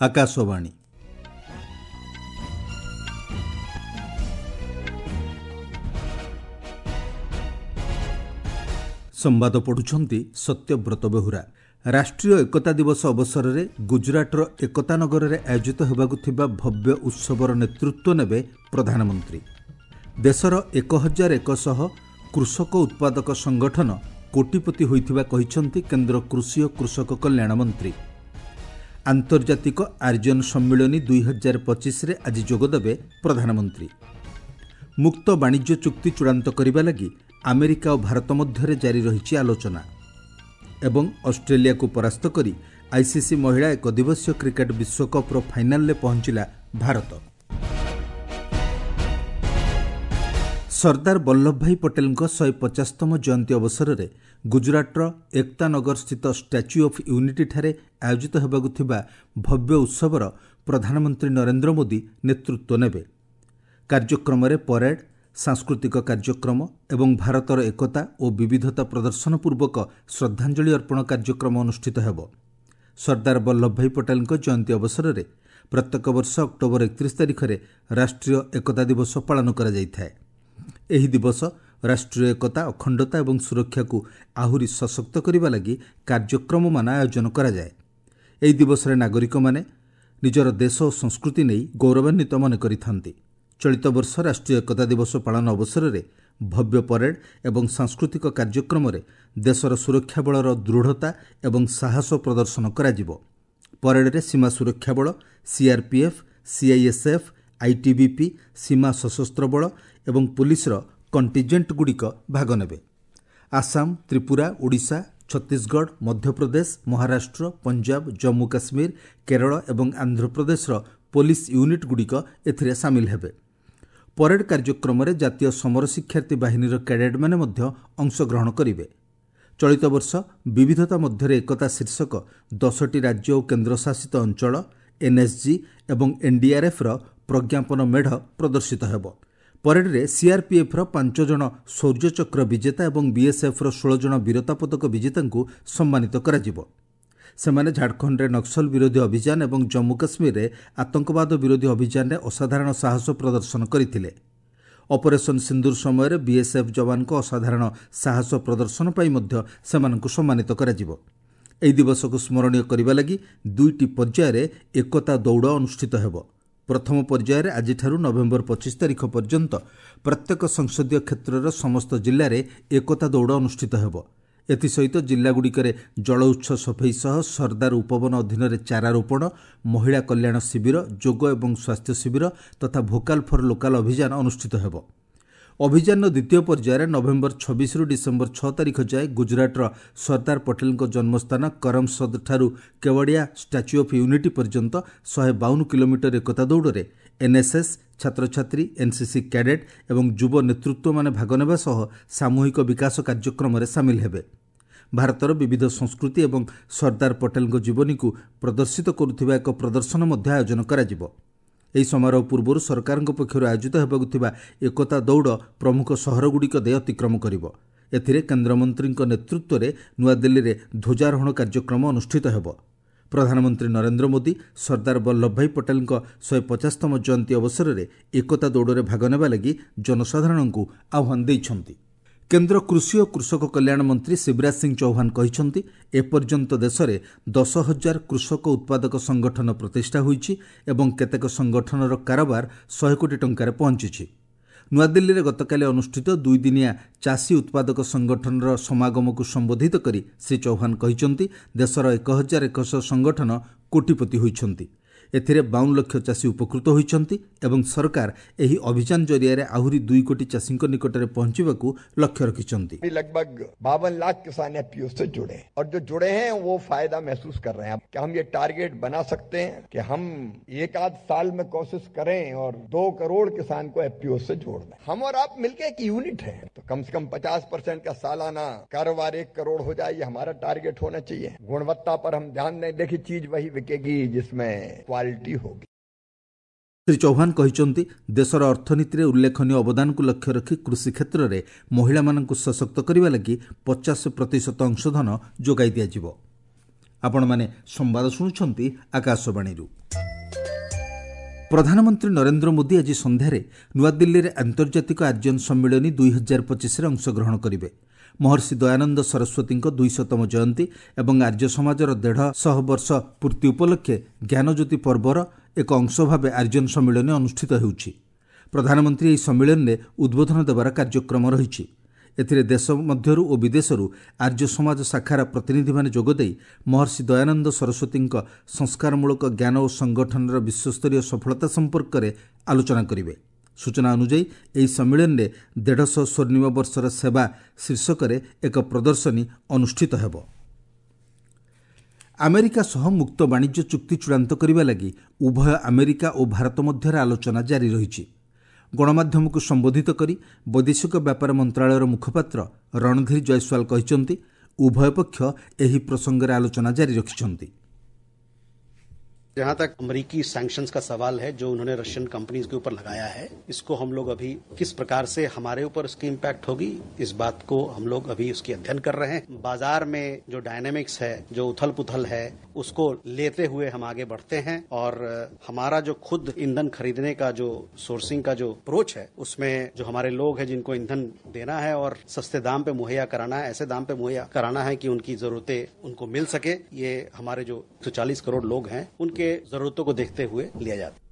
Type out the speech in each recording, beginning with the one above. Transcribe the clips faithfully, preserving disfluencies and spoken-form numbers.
ଆକାଶବାଣୀ। ସମ୍ବାଦ ପଢ଼ୁଛନ୍ତି ସତ୍ୟବ୍ରତ ବେହୁରା। ରାଷ୍ଟ୍ରୀୟ ଏକତା ଦିବସ ଅବସରରେ ଗୁଜରାଟର ଏକତାନଗରରେ ଆୟୋଜିତ ହେବାକୁ ଥିବା ଭବ୍ୟ ଉତ୍ସବର ନେତୃତ୍ୱ ନେବେ ପ୍ରଧାନମନ୍ତ୍ରୀ। ଦେଶର ଏକ ହଜାର ଏକଶହ କୃଷକ ଉତ୍ପାଦକ ସଂଗଠନ କୋଟିପତି ହୋଇଥିବା କହିଛନ୍ତି କେନ୍ଦ୍ର କୃଷି ଓ କୃଷକ କଲ୍ୟାଣ ମନ୍ତ୍ରୀ। ଆନ୍ତର୍ଜାତିକ ଆର୍ଯ୍ୟନ ସମ୍ମିଳନୀ ଦୁଇ ହଜାର ପଚିଶରେ ଆଜି ଯୋଗଦେବେ ପ୍ରଧାନମନ୍ତ୍ରୀ। ମୁକ୍ତ ବାଣିଜ୍ୟ ଚୁକ୍ତି ଚୂଡ଼ାନ୍ତ କରିବା ଲାଗି ଆମେରିକା ଓ ଭାରତ ମଧ୍ୟରେ ଜାରି ରହିଛି ଆଲୋଚନା। ଏବଂ ଅଷ୍ଟ୍ରେଲିଆକୁ ପରାସ୍ତ କରି ଆଇସିସି ମହିଳା ଏକଦିବସୀୟ କ୍ରିକେଟ୍ ବିଶ୍ୱକପ୍ର ଫାଇନାଲରେ ପହଞ୍ଚିଲା ଭାରତ। ସର୍ଦ୍ଦାର ବଲ୍ଲଭଭାଇ ପଟେଲଙ୍କ ଶହେ ପଚାଶତମ ଜୟନ୍ତୀ ଅବସରରେ ଗୁଜରାଟର ଏକତାନଗରସ୍ଥିତ ଷ୍ଟାଚ୍ୟୁ ଅଫ୍ ୟୁନିଟିଠାରେ ଆୟୋଜିତ ହେବାକୁ ଥିବା ଭବ୍ୟ ଉତ୍ସବର ପ୍ରଧାନମନ୍ତ୍ରୀ ନରେନ୍ଦ୍ର ମୋଦି ନେତୃତ୍ୱ ନେବେ। କାର୍ଯ୍ୟକ୍ରମରେ ପରେଡ୍, ସାଂସ୍କୃତିକ କାର୍ଯ୍ୟକ୍ରମ ଏବଂ ଭାରତର ଏକତା ଓ ବିବିଧତା ପ୍ରଦର୍ଶନ ପୂର୍ବକ ଶ୍ରଦ୍ଧାଞ୍ଜଳି ଅର୍ପଣ କାର୍ଯ୍ୟକ୍ରମ ଅନୁଷ୍ଠିତ ହେବ। ସର୍ଦ୍ଦାର ବଲ୍ଲଭଭାଇ ପଟେଲଙ୍କ ଜୟନ୍ତୀ ଅବସରରେ ପ୍ରତ୍ୟେକ ବର୍ଷ ଅକ୍ଟୋବର ଏକତିରିଶ ତାରିଖରେ ରାଷ୍ଟ୍ରୀୟ ଏକତା ଦିବସ ପାଳନ କରାଯାଇଥାଏ। ଏହି ଦିବସ ରାଷ୍ଟ୍ରୀୟ ଏକତା, ଅଖଣ୍ଡତା ଏବଂ ସୁରକ୍ଷାକୁ ଆହୁରି ସଶକ୍ତ କରିବା ଲାଗି କାର୍ଯ୍ୟକ୍ରମମାନ ଆୟୋଜନ କରାଯାଏ। ଏହି ଦିବସରେ ନାଗରିକମାନେ ନିଜର ଦେଶ ଓ ସଂସ୍କୃତି ନେଇ ଗୌରବାନ୍ୱିତ ମନେ କରିଥାନ୍ତି। ଚଳିତ ବର୍ଷ ରାଷ୍ଟ୍ରୀୟ ଏକତା ଦିବସ ପାଳନ ଅବସରରେ ଭବ୍ୟ ପରେଡ୍ ଏବଂ ସାଂସ୍କୃତିକ କାର୍ଯ୍ୟକ୍ରମରେ ଦେଶର ସୁରକ୍ଷା ବଳର ଦୃଢ଼ତା ଏବଂ ସାହସ ପ୍ରଦର୍ଶନ କରାଯିବ। ପରେଡ୍ରେ ସୀମା ସୁରକ୍ଷା ବଳ, ସିଆର୍ପିଏଫ୍, ସିଆଇଏସ୍ଏଫ୍, ଆଇଟିବିପି, ସୀମା ସଶସ୍ତ୍ର ବଳ ଏବଂ ପୁଲିସର କଣ୍ଟିଜେଣ୍ଟଗୁଡ଼ିକ ଭାଗ ନେବେ। ଆସାମ, ତ୍ରିପୁରା, ଓଡ଼ିଶା, ଛତିଶଗଡ଼, ମଧ୍ୟପ୍ରଦେଶ, ମହାରାଷ୍ଟ୍ର, ପଞ୍ଜାବ, ଜମ୍ମୁ କାଶ୍ମୀର, କେରଳ ଏବଂ ଆନ୍ଧ୍ରପ୍ରଦେଶର ପୋଲିସ ୟୁନିଟ୍ଗୁଡ଼ିକ ଏଥିରେ ସାମିଲ ହେବେ। ପରେଡ୍ କାର୍ଯ୍ୟକ୍ରମରେ ଜାତୀୟ ସମର ଶିକ୍ଷାର୍ଥୀ ବାହିନୀର କ୍ୟାଡେଟ୍ମାନେ ମଧ୍ୟ ଅଂଶଗ୍ରହଣ କରିବେ। ଚଳିତ ବର୍ଷ ବିବିଧତା ମଧ୍ୟରେ ଏକତା ଶୀର୍ଷକ ଦଶଟି ରାଜ୍ୟ ଓ କେନ୍ଦ୍ରଶାସିତ ଅଞ୍ଚଳ, ଏନ୍ଏସ୍ଜି ଏବଂ ଏନ୍ଡିଆର୍ଏଫ୍ର ପ୍ରଜ୍ଞାପନ ମେଢ଼ ପ୍ରଦର୍ଶିତ ହେବ। ପରେଡ୍ରେ ସିଆର୍ପିଏଫ୍ର ପାଞ୍ଚ ଜଣ ଶୌର୍ଯ୍ୟଚକ୍ର ବିଜେତା ଏବଂ ବିଏସ୍ଏଫ୍ର ଷୋହଳ ଜଣ ବୀରତା ପଦକ ବିଜେତାଙ୍କୁ ସମ୍ମାନିତ କରାଯିବ। ସେମାନେ ଝାଡ଼ଖଣ୍ଡରେ ନକ୍ସଲ ବିରୋଧୀ ଅଭିଯାନ ଏବଂ ଜମ୍ମୁ କାଶ୍ମୀରରେ ଆତଙ୍କବାଦ ବିରୋଧୀ ଅଭିଯାନରେ ଅସାଧାରଣ ସାହସ ପ୍ରଦର୍ଶନ କରିଥିଲେ। ଅପରେସନ୍ ସିନ୍ଦୁର ସମୟରେ ବିଏସ୍ଏଫ୍ ଯବାନଙ୍କ ଅସାଧାରଣ ସାହସ ପ୍ରଦର୍ଶନ ପାଇଁ ମଧ୍ୟ ସେମାନଙ୍କୁ ସମ୍ମାନିତ କରାଯିବ। ଏହି ଦିବସକୁ ସ୍ମରଣୀୟ କରିବା ଲାଗି ଦୁଇଟି ପର୍ଯ୍ୟାୟରେ ଏକତା ଦୌଡ଼ ଅନୁଷ୍ଠିତ ହେବ। ପ୍ରଥମ ପର୍ଯ୍ୟାୟରେ ଆଜିଠାରୁ ନଭେମ୍ବର ପଚିଶ ତାରିଖ ପର୍ଯ୍ୟନ୍ତ ପ୍ରତ୍ୟେକ ସଂସଦୀୟ କ୍ଷେତ୍ରର ସମସ୍ତ ଜିଲ୍ଲାରେ ଏକତା ଦୌଡ଼ ଅନୁଷ୍ଠିତ ହେବ। ଏଥିସହିତ ଜିଲ୍ଲାଗୁଡ଼ିକରେ ଜଳ ଉତ୍ସ ସଫେଇ ସହ ସର୍ଦ୍ଦାର ଉପବନ ଅଧୀନରେ ଚାରା ରୋପଣ, ମହିଳା କଲ୍ୟାଣ ଶିବିର, ଯୋଗ ଏବଂ ସ୍ୱାସ୍ଥ୍ୟ ଶିବିର ତଥା ଭୋକାଲ୍ ଫର୍ ଲୋକାଲ୍ ଅଭିଯାନ ଅନୁଷ୍ଠିତ ହେବ। ଅଭିଯାନର ଦ୍ୱିତୀୟ ପର୍ଯ୍ୟାୟରେ ନଭେମ୍ବର ଛବିଶରୁ ଡିସେମ୍ବର ଛଅ ତାରିଖ ଯାଏ ଗୁଜରାଟର ସର୍ଦ୍ଦାର ପଟେଲଙ୍କ ଜନ୍ମସ୍ଥାନ କରମସଦଠାରୁ କେୱଡ଼ିଆ ଷ୍ଟାଚ୍ୟୁ ଅଫ୍ ୟୁନିଟି ପର୍ଯ୍ୟନ୍ତ ଶହେ ବାଉନ କିଲୋମିଟର ଏକତା ଦୌଡ଼ରେ ଏନ୍ଏସ୍ଏସ୍, ଛାତ୍ରଛାତ୍ରୀ, ଏନ୍ସିସି କ୍ୟାଡେଟ୍ ଏବଂ ଯୁବ ନେତୃତ୍ୱମାନେ ଭାଗ ନେବା ସହ ସାମୂହିକ ବିକାଶ କାର୍ଯ୍ୟକ୍ରମରେ ସାମିଲ ହେବେ। ଭାରତର ବିବିଧ ସଂସ୍କୃତି ଏବଂ ସର୍ଦ୍ଦାର ପଟେଲଙ୍କ ଜୀବନୀକୁ ପ୍ରଦର୍ଶିତ କରୁଥିବା ଏକ ପ୍ରଦର୍ଶନ ମଧ୍ୟ ଆୟୋଜନ କରାଯିବ। ଏହି ସମାରୋହ ପୂର୍ବରୁ ସରକାରଙ୍କ ପକ୍ଷରୁ ଆୟୋଜିତ ହେବାକୁ ଥିବା ଏକତା ଦୌଡ଼ ପ୍ରମୁଖ ସହରଗୁଡ଼ିକ ଦେଇ ଅତିକ୍ରମ କରିବ। ଏଥିରେ କେନ୍ଦ୍ରମନ୍ତ୍ରୀଙ୍କ ନେତୃତ୍ୱରେ ନୂଆଦିଲ୍ଲୀରେ ଧ୍ୱଜାରୋହଣ କାର୍ଯ୍ୟକ୍ରମ ଅନୁଷ୍ଠିତ ହେବ। ପ୍ରଧାନମନ୍ତ୍ରୀ ନରେନ୍ଦ୍ର ମୋଦି ସର୍ଦ୍ଦାର ବଲ୍ଲଭଭାଇ ପଟେଲଙ୍କ ଶହେ ପଚାଶତମ ଜୟନ୍ତୀ ଅବସରରେ ଏକତା ଦୌଡ଼ରେ ଭାଗ ନେବା ଲାଗି ଜନସାଧାରଣଙ୍କୁ ଆହ୍ୱାନ ଦେଇଛନ୍ତି। କେନ୍ଦ୍ର କୃଷି ଓ କୃଷକ କଲ୍ୟାଣ ମନ୍ତ୍ରୀ ଶିବରାଜ ସିଂ ଚୌହାନ କହିଛନ୍ତି, ଏପର୍ଯ୍ୟନ୍ତ ଦେଶରେ ଦଶ ହଜାର କୃଷକ ଉତ୍ପାଦକ ସଂଗଠନ ପ୍ରତିଷ୍ଠା ହୋଇଛି ଏବଂ କେତେକ ସଂଗଠନର କାରବାର ଶହେ କୋଟି ଟଙ୍କାରେ ପହଞ୍ଚିଛି। ନୂଆଦିଲ୍ଲୀରେ ଗତକାଲି ଅନୁଷ୍ଠିତ ଦୁଇଦିନିଆ ଚାଷୀ ଉତ୍ପାଦକ ସଂଗଠନର ସମାଗମକୁ ସମ୍ବୋଧିତ କରି ଶ୍ରୀ ଚୌହାନ କହିଛନ୍ତି, ଦେଶର ଏକ ହଜାର ଏକଶହ ସଂଗଠନ କୋଟିପତି ହୋଇଛନ୍ତି। ଏଥିରେ ବାଉନ ଲକ୍ଷ ଚାଷୀ ଉପକୃତ ହୋଇଛନ୍ତି ଏବଂ ସରକାର ଏହି ଅଭିଯାନ ଜରିଆରେ ଆହୁରି ଦୁଇ କୋଟି ଚାଷୀଙ୍କ ନିକଟରେ ପହଞ୍ଚିବାକୁ ଲକ୍ଷ୍ୟ ରଖିଛନ୍ତି। लगभग बावन लाख किसान एफपीओ से जुड़े हैं और जो जुड़े हैं वो फायदा महसूस कर रहे हैं। क्या हम ये टारगेट बना सकते हैं कि हम एक आध साल में कोशिश करें और दो करोड़ किसान को एफपीओ से जोड़ दें? हम और आप मिलके एक यूनिट है, तो कम से कम पचास परसेंट का सालाना कारोबार एक करोड़ हो जाए, ये हमारा टारगेट होना चाहिए। गुणवत्ता पर हम ध्यान दें। देखिए, चीज वही बिकेगी जिसमें क्वालिटी होगी। ଶ୍ରୀ ଚୌହାନ କହିଛନ୍ତି, ଦେଶର ଅର୍ଥନୀତିରେ ଉଲ୍ଲେଖନୀୟ ଅବଦାନକୁ ଲକ୍ଷ୍ୟ ରଖି କୃଷି କ୍ଷେତ୍ରରେ ମହିଳାମାନଙ୍କୁ ସଶକ୍ତ କରିବା ଲାଗି ପଚାଶ ପ୍ରତିଶତ ଅଂଶଧନ ଯୋଗାଇ ଦିଆଯିବ। ଆପଣମାନେ ସମ୍ବାଦ ଶୁଣୁଛନ୍ତି ଆକାଶବାଣୀରୁ। ପ୍ରଧାନମନ୍ତ୍ରୀ ନରେନ୍ଦ୍ର ମୋଦି ଆଜି ସନ୍ଧ୍ୟାରେ ନୂଆଦିଲ୍ଲୀରେ ଆନ୍ତର୍ଜାତିକ ଆର୍ଯ୍ୟନ ସମ୍ମିଳନୀ ଦୁଇ ହଜାର ପଚିଶରେ ଅଂଶଗ୍ରହଣ କରିବେ। ମହର୍ଷି ଦୟାନନ୍ଦ ସରସ୍ୱତୀଙ୍କ ଦୁଇଶତମ ଜୟନ୍ତୀ ଏବଂ ଆର୍ଯ୍ୟ ସମାଜର ଦେଢ଼ଶହ ବର୍ଷ ପୂର୍ତ୍ତି ଉପଲକ୍ଷେ ଜ୍ଞାନଜ୍ୟୋତି ପର୍ବର ଏକ ଅଂଶ ଭାବେ ଆର୍ଯ୍ୟନ ସମ୍ମିଳନୀ ଅନୁଷ୍ଠିତ ହେଉଛି। ପ୍ରଧାନମନ୍ତ୍ରୀ ଏହି ସମ୍ମିଳନୀରେ ଉଦ୍ବୋଧନ ଦେବାର କାର୍ଯ୍ୟକ୍ରମ ରହିଛି। ଏଥିରେ ଦେଶ ମଧ୍ୟରୁ ଓ ବିଦେଶରୁ ଆର୍ଯ୍ୟ ସମାଜ ଶାଖାର ପ୍ରତିନିଧିମାନେ ଯୋଗଦେଇ ମହର୍ଷି ଦୟାନନ୍ଦ ସରସ୍ୱତୀଙ୍କ ସଂସ୍କାରମୂଳକ ଜ୍ଞାନ ଓ ସଂଗଠନର ବିଶ୍ୱସ୍ତରୀୟ ସଫଳତା ସମ୍ପର୍କରେ ଆଲୋଚନା କରିବେ। ସୂଚନା ଅନୁଯାୟୀ ଏହି ସମ୍ମିଳନୀରେ ଦେଢ଼ଶହ ସ୍ୱର୍ଣ୍ଣିମ ବର୍ଷର ସେବା ଶୀର୍ଷକରେ ଏକ ପ୍ରଦର୍ଶନୀ ଅନୁଷ୍ଠିତ ହେବ। ଆମେରିକା ସହ ମୁକ୍ତ ବାଣିଜ୍ୟ ଚୁକ୍ତି ଚୂଡ଼ାନ୍ତ କରିବା ଲାଗି ଉଭୟ ଆମେରିକା ଓ ଭାରତ ମଧ୍ୟରେ ଆଲୋଚନା ଜାରି ରହିଛି। ଗଣମାଧ୍ୟମକୁ ସମ୍ବୋଧିତ କରି ବୈଦେଶିକ ବ୍ୟାପାର ମନ୍ତ୍ରଣାଳୟର ମୁଖପାତ୍ର ରଣଧୀର ଜୟସ୍ୱାଲ କହିଛନ୍ତି, ଉଭୟ ପକ୍ଷ ଏହି ପ୍ରସଙ୍ଗରେ ଆଲୋଚନା ଜାରି ରଖିଛନ୍ତି। जहां तक अमेरिकी सैंक्शंस का सवाल है जो उन्होंने रशियन कंपनीज के ऊपर लगाया है, इसको हम लोग अभी किस प्रकार से हमारे ऊपर उसकी इम्पैक्ट होगी, इस बात को हम लोग अभी उसकी अध्ययन कर रहे हैं। बाजार में जो डायनेमिक्स है, जो उथल पुथल है, उसको लेते हुए हम आगे बढ़ते हैं और हमारा जो खुद ईंधन खरीदने का जो सोर्सिंग का जो अप्रोच है, उसमें जो हमारे लोग हैं जिनको ईंधन देना है और सस्ते दाम पे मुहैया कराना है, ऐसे दाम पे मुहैया कराना है कि उनकी जरूरतें उनको मिल सके, ये हमारे जो एक सौ चालीस करोड़ लोग हैं उनके जरूरतों को देखते हुए लिया जाता है।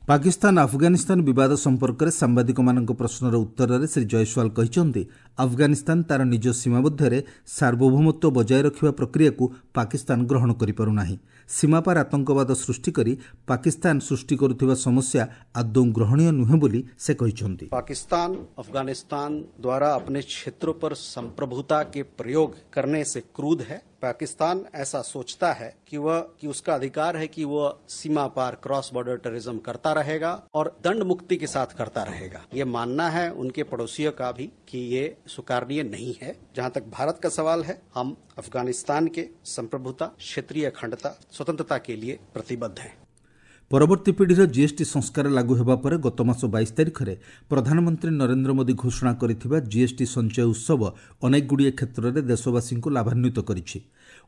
ପାକିସ୍ତାନ ଆଫଗାନିସ୍ତାନ ବିବାଦ ସମ୍ପର୍କରେ ସାମ୍ବାଦିକମାନଙ୍କ ପ୍ରଶ୍ନର ଉତ୍ତରରେ ଶ୍ରୀ ଜୟସ୍ୱାଲ କହିଛନ୍ତି, ଆଫଗାନିସ୍ତାନ ତାର ନିଜ ସୀମା ମଧ୍ୟରେ ସାର୍ବଭୌମତ୍ୱ ବଜାୟ ରଖିବା ପ୍ରକ୍ରିୟାକୁ ପାକିସ୍ତାନ ଗ୍ରହଣ କରିପାରୁନାହିଁ। ସୀମାପାର ଆତଙ୍କବାଦ ସୃଷ୍ଟି କରି ପାକିସ୍ତାନ ସୃଷ୍ଟି କରୁଥିବା ସମସ୍ୟା ଆଦୌ ଗ୍ରହଣୀୟ ନୁହେଁ ବୋଲି ସେ କହିଛନ୍ତି। पाकिस्तान अफगानिस्तान द्वारा अपने क्षेत्रों पर संप्रभुता के प्रयोग करने से क्रुद्ध है। पाकिस्तान ऐसा सोचता है कि वह कि उसका अधिकार है कि वह सीमा पार क्रॉस बॉर्डर टेररिज्म करता रहेगा और दंड मुक्ति के साथ करता रहेगा। ये मानना है उनके पड़ोसियों का भी कि ये स्वीकारनीय नहीं है। जहां तक भारत का सवाल है, हम अफगानिस्तान के संप्रभुता, क्षेत्रीय अखंडता, स्वतंत्रता के लिए प्रतिबद्ध हैं। ପରବର୍ତ୍ତୀ ପିଢ଼ିର ଜିଏସ୍ଟି ସଂସ୍କାର ଲାଗୁ ହେବା ପରେ ଗତ ମାସ ବାଇଶ ତାରିଖରେ ପ୍ରଧାନମନ୍ତ୍ରୀ ନରେନ୍ଦ୍ର ମୋଦି ଘୋଷଣା କରିଥିବା ଜିଏସ୍ଟି ସଞ୍ଚୟ ଉତ୍ସବ ଅନେକଗୁଡ଼ିଏ କ୍ଷେତ୍ରରେ ଦେଶବାସୀଙ୍କୁ ଲାଭାନ୍ୱିତ କରିଛି।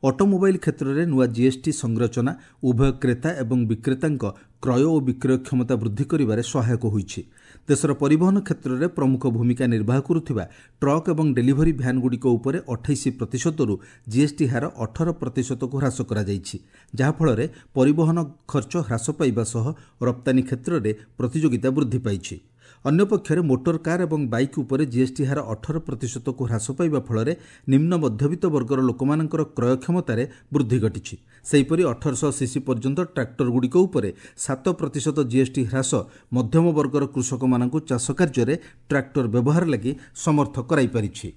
ଅଟୋମୋବାଇଲ୍ କ୍ଷେତ୍ରରେ ନୂଆ ଜିଏସ୍ଟି ସଂରଚନା ଉଭୟ କ୍ରେତା ଏବଂ ବିକ୍ରେତାଙ୍କ କ୍ରୟ ଓ ବିକ୍ରୟ କ୍ଷମତା ବୃଦ୍ଧି କରିବାରେ ସହାୟକ ହୋଇଛି। ଦେଶର ପରିବହନ କ୍ଷେତ୍ରରେ ପ୍ରମୁଖ ଭୂମିକା ନିର୍ବାହ କରୁଥିବା ଟ୍ରକ୍ ଏବଂ ଡେଲିଭରି ଭ୍ୟାନ୍ଗୁଡ଼ିକ ଉପରେ ଅଠେଇଶ ପ୍ରତିଶତରୁ ଜିଏସ୍ଟି ହାର ଅଠର ପ୍ରତିଶତକୁ ହ୍ରାସ କରାଯାଇଛି, ଯାହାଫଳରେ ପରିବହନ ଖର୍ଚ୍ଚ ହ୍ରାସ ପାଇବା ସହ ରପ୍ତାନୀ କ୍ଷେତ୍ରରେ ପ୍ରତିଯୋଗିତା ବୃଦ୍ଧି ପାଇଛି। ଅନ୍ୟପକ୍ଷରେ ମୋଟର କାର୍ ଏବଂ ବାଇକ୍ ଉପରେ ଜିଏସ୍ଟି ହାର ଅଠର ପ୍ରତିଶତକୁ ହ୍ରାସ ପାଇବା ଫଳରେ ନିମ୍ନ ମଧ୍ୟବିତ୍ତ ବର୍ଗର ଲୋକମାନଙ୍କର କ୍ରୟ କ୍ଷମତାରେ ବୃଦ୍ଧି ଘଟିଛି। ସେହିପରି ଅଠରଶହ ସିସି ପର୍ଯ୍ୟନ୍ତ ଟ୍ରାକ୍ଟରଗୁଡ଼ିକ ଉପରେ ସାତ ପ୍ରତିଶତ ଜିଏସ୍ଟି ହ୍ରାସ ମଧ୍ୟମ ବର୍ଗର କୃଷକମାନଙ୍କୁ ଚାଷ କାର୍ଯ୍ୟରେ ଟ୍ରାକ୍ଟର ବ୍ୟବହାର ଲାଗି ସମର୍ଥ କରାଇପାରିଛି।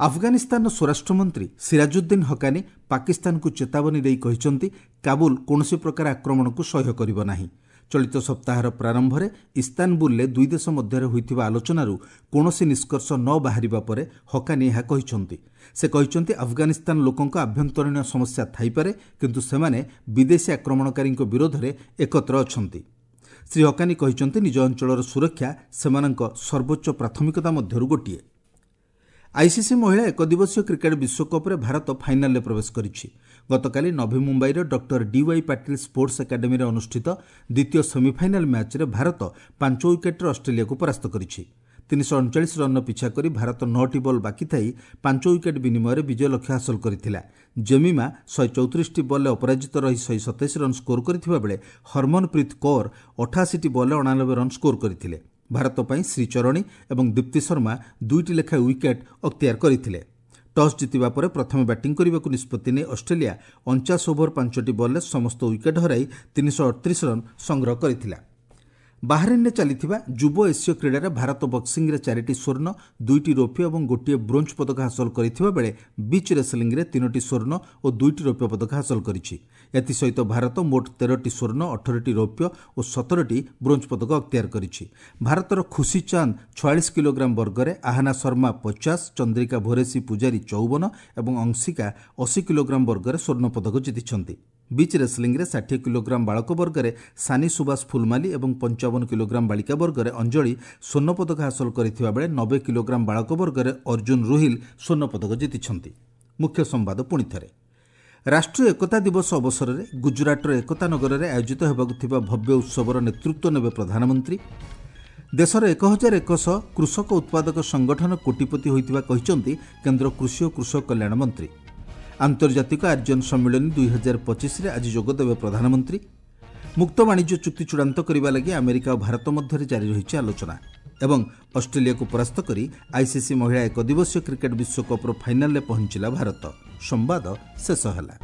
ଆଫଗାନିସ୍ତାନର ସ୍ୱରାଷ୍ଟ୍ରମନ୍ତ୍ରୀ ସିରାଜୁଦ୍ଦିନ ହକାନି ପାକିସ୍ତାନକୁ ଚେତାବନୀ ଦେଇ କହିଛନ୍ତି, କାବୁଲ କୌଣସି ପ୍ରକାର ଆକ୍ରମଣକୁ ସହ୍ୟ କରିବ ନାହିଁ। ଚଳିତ ସପ୍ତାହର ପ୍ରାରମ୍ଭରେ ଇସ୍ତାନବୁଲରେ ଦୁଇ ଦେଶ ମଧ୍ୟରେ ହୋଇଥିବା ଆଲୋଚନାରୁ କୌଣସି ନିଷ୍କର୍ଷ ନ ବାହାରିବା ପରେ ହକାନି ଏହା କହିଛନ୍ତି। ସେ କହିଛନ୍ତି, ଆଫଗାନିସ୍ତାନ ଲୋକଙ୍କ ଆଭ୍ୟନ୍ତରୀଣ ସମସ୍ୟା ଥାଇପାରେ, କିନ୍ତୁ ସେମାନେ ବିଦେଶୀ ଆକ୍ରମଣକାରୀଙ୍କ ବିରୋଧରେ ଏକତ୍ର ଅଛନ୍ତି। ଶ୍ରୀ ହକାନି କହିଛନ୍ତି, ନିଜ ଅଞ୍ଚଳର ସୁରକ୍ଷା ସେମାନଙ୍କ ସର୍ବୋଚ୍ଚ ପ୍ରାଥମିକତା ମଧ୍ୟରୁ ଗୋଟିଏ। ଆଇସିସି ମହିଳା ଏକଦିବସୀୟ କ୍ରିକେଟ୍ ବିଶ୍ୱକପ୍ରେ ଭାରତ ଫାଇନାଲରେ ପ୍ରବେଶ କରିଛି। ଗତକାଲି ନଭି ମୁମ୍ବାଇର ଡକ୍ଟର ଡିୱାଇ ପାଟିଲ ସ୍ପୋର୍ଟସ ଏକାଡେମୀରେ ଅନୁଷ୍ଠିତ ଦ୍ୱିତୀୟ ସେମିଫାଇନାଲ ମ୍ୟାଚ୍ରେ ଭାରତ ପାଞ୍ଚ ୱିକେଟ୍ରେ ଅଷ୍ଟ୍ରେଲିଆକୁ ପରାସ୍ତ କରିଛି। ତିନିଶହ ଅଣଚାଳିଶ ରନ୍ର ପିଛା କରି ଭାରତ ନଅଟି ବଲ୍ ବାକି ଥାଇ ପାଞ୍ଚ ୱିକେଟ୍ ବିନିମୟରେ ବିଜୟ ଲକ୍ଷ୍ୟ ହାସଲ କରିଥିଲା। ଜେମିମା ଶହେ ଚଉତିରିଶଟି ବଲ୍ରେ ଅପରାଜିତ ରହି ଶହେ ସତେଇଶ ରନ୍ ସ୍କୋର କରିଥିବା ବେଳେ ହରମନପ୍ରୀତ କୌର ଅଠାଅଶୀଟି ବଲ୍ରେ ଅଣାନବେ ରନ୍ ସ୍କୋର କରିଥିଲେ। ଭାରତ ପାଇଁ ଶ୍ରୀଚରଣୀ ଏବଂ ଦୀପ୍ତି ଶର୍ମା ଦୁଇଟି ଲେଖାଏଁ ୱିକେଟ୍ ଅକ୍ତିଆର କରିଥିଲେ। ଟସ୍ ଜିତିବା ପରେ ପ୍ରଥମେ ବ୍ୟାଟିଂ କରିବାକୁ ନିଷ୍ପତ୍ତି ନେଇ ଅଷ୍ଟ୍ରେଲିଆ ଅଣଚାଶ ଓଭର ପାଞ୍ଚଟି ବଲ୍ରେ ସମସ୍ତ ୱିକେଟ୍ ହରାଇ ତିନିଶହ ଅଠତିରିଶ ରନ୍ ସଂଗ୍ରହ କରିଥିଲା। ବାହାରିନ୍ରେ ଚାଲିଥିବା ଯୁବ ଏସୀୟ କ୍ରୀଡ଼ାରେ ଭାରତ ବକ୍ସିଂରେ ଚାରିଟି ସ୍ୱର୍ଣ୍ଣ, ଦୁଇଟି ରୌପ୍ୟ ଏବଂ ଗୋଟିଏ ବ୍ରୋଞ୍ଜ ପଦକ ହାସଲ କରିଥିବା ବେଳେ ବିଚ୍ ରେସଲିଂରେ ତିନୋଟି ସ୍ୱର୍ଣ୍ଣ ଓ ଦୁଇଟି ରୌପ୍ୟ ପଦକ ହାସଲ କରିଛି। ଏଥିସହିତ ଭାରତ ମୋଟ ତେରଟି ସ୍ୱର୍ଣ୍ଣ, ଅଠରଟି ରୌପ୍ୟ ଓ ସତରଟି ବ୍ରୋଞ୍ଜ ପଦକ ଅକ୍ତିଆର କରିଛି। ଭାରତର ଖୁସି ଚାନ୍ଦ ଛୟାଳିଶ କିଲୋଗ୍ରାମ ବର୍ଗରେ, ଆହାନା ଶର୍ମା ପଚାଶ, ଚନ୍ଦ୍ରିକା ଭୋରେସି ପୂଜାରୀ ଚଉବନ ଏବଂ ଅଂଶିକା ଅଶୀ କିଲୋଗ୍ରାମ ବର୍ଗରେ ସ୍ୱର୍ଣ୍ଣ ପଦକ ଜିତିଛନ୍ତି। ବିଚ୍ ରେସଲିଂରେ ଷାଠିଏ କିଲୋଗ୍ରାମ ବାଳକ ବର୍ଗରେ ସାନି ସୁବାସ ଫୁଲମାଲି ଏବଂ ପଞ୍ଚାବନ କିଲୋଗ୍ରାମ ବାଳିକା ବର୍ଗରେ ଅଞ୍ଜଳି ସ୍ୱର୍ଣ୍ଣ ପଦକ ହାସଲ କରିଥିବା ବେଳେ ନବେ କିଲୋଗ୍ରାମ ବାଳକ ବର୍ଗରେ ଅର୍ଜୁନ ରୋହିଲ ସ୍ୱର୍ଣ୍ଣ ପଦକ ଜିତିଛନ୍ତି। ମୁଖ୍ୟ ସମ୍ବାଦ ପୁଣିଥରେ, ରାଷ୍ଟ୍ରୀୟ ଏକତା ଦିବସ ଅବସରରେ ଗୁଜରାଟର ଏକତା ନଗରରେ ଆୟୋଜିତ ହେବାକୁ ଥିବା ଭବ୍ୟ ଉତ୍ସବର ନେତୃତ୍ୱ ନେବେ ପ୍ରଧାନମନ୍ତ୍ରୀ। ଦେଶର ଏକ ହଜାର ଏକଶହ କୃଷକ ଉତ୍ପାଦକ ସଂଗଠନ କୋଟିପତି ହୋଇଥିବା କହିଛନ୍ତି କେନ୍ଦ୍ର କୃଷି ଓ କୃଷକ କଲ୍ୟାଣ ମନ୍ତ୍ରୀ। ଆନ୍ତର୍ଜାତିକ ଆର୍ଯ୍ୟନ ସମ୍ମିଳନୀ ଦୁଇ ହଜାର ପଚିଶରେ ଆଜି ଯୋଗଦେବେ ପ୍ରଧାନମନ୍ତ୍ରୀ। ମୁକ୍ତ ବାଣିଜ୍ୟ ଚୁକ୍ତି ଚୂଡ଼ାନ୍ତ କରିବା ଲାଗି ଆମେରିକା ଓ ଭାରତ ମଧ୍ୟରେ ଜାରି ରହିଛି ଆଲୋଚନା। ଏବଂ ଅଷ୍ଟ୍ରେଲିଆକୁ ପରାସ୍ତ କରି ଆଇସିସି ମହିଳା ଏକଦିବସୀୟ କ୍ରିକେଟ୍ ବିଶ୍ୱକପ୍ର ଫାଇନାଲରେ ପହଞ୍ଚିଲା ଭାରତ। ସମ୍ବାଦ ଶେଷ ହେଲା।